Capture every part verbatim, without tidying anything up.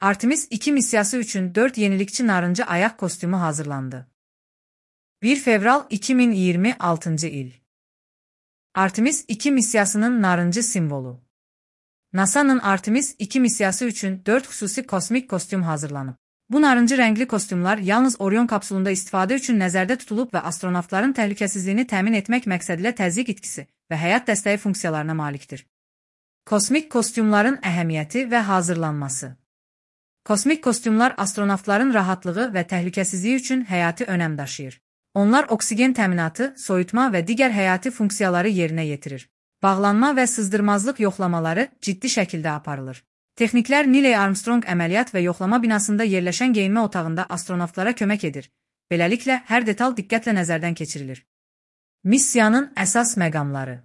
Artemis iki missiyası üçün dörd yenilikçi narıncı ayaq kostümü hazırlandı. bir fevral iki min iyirmi altıncı il. Artemis iki missiyasının narıncı simvolu. NASA'nın Artemis iki missiyası üçün dörd xüsusi kosmik kostüm hazırlanıb. Bu narıncı rəngli kostümlər yalnız Orion kapsulunda istifadə üçün nəzərdə tutulub və astronavtların təhlükəsizliyini təmin etmək məqsədilə təzyiq itkisi və həyat dəstəyi funksiyalarına malikdir. Kosmik kostümlərin əhəmiyyəti və hazırlanması. Kosmik kostümlər astronavtların rahatlığı və təhlükəsizliyi üçün həyati önəm daşıyır. Onlar oksigen təminatı, soyutma və digər həyati funksiyaları yerinə yetirir. Bağlanma və sızdırmazlıq yoxlamaları ciddi şəkildə aparılır. Texniklər Neil Armstrong əməliyyat və yoxlama binasında yerləşən geyinmə otağında astronavtlara kömək edir. Beləliklə, hər detal diqqətlə nəzərdən keçirilir. Missiyanın əsas məqamları.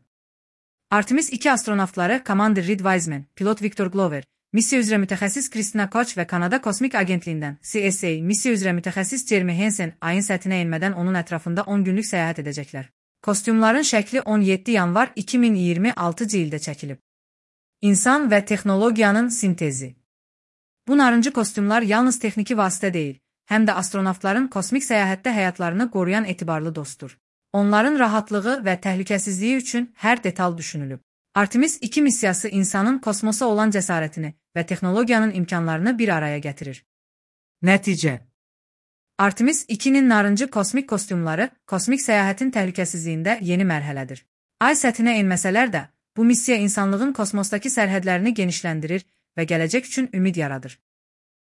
Artemis iki astronavtları komandir Reed Wiseman, pilot Victor Glover, missiya üzrə mütəxəssis Christina Koch və Kanada Kosmik Agentliyindən C S A, missiya üzrə mütəxəssis Jeremy Hansen ayın səthinə enmədən onun ətrafında on günlük səyahət edəcəklər. Kostümlərin şəkli on yeddi yanvar iki min iyirmi altıncı ildə çəkilib. İnsan və texnologiyanın sintezi. Bu narıncı kostümlər yalnız texniki vasitə deyil, həm də astronavtların kosmik səyahətdə həyatlarını qoruyan etibarlı dostdur. Onların rahatlığı və təhlükəsizliyi üçün hər detal düşünülüb. Artemis iki missiyası insanın kosmosa olan cəsarətini və texnologiyanın imkanlarını bir araya gətirir. Nəticə. Artemis ikinin narıncı kosmik kostümləri kosmik səyahətin təhlükəsizliyində yeni mərhələdir. Ay səthinə enməsələr də, bu missiya insanlığın kosmosdakı sərhədlərini genişləndirir və gələcək üçün ümid yaradır.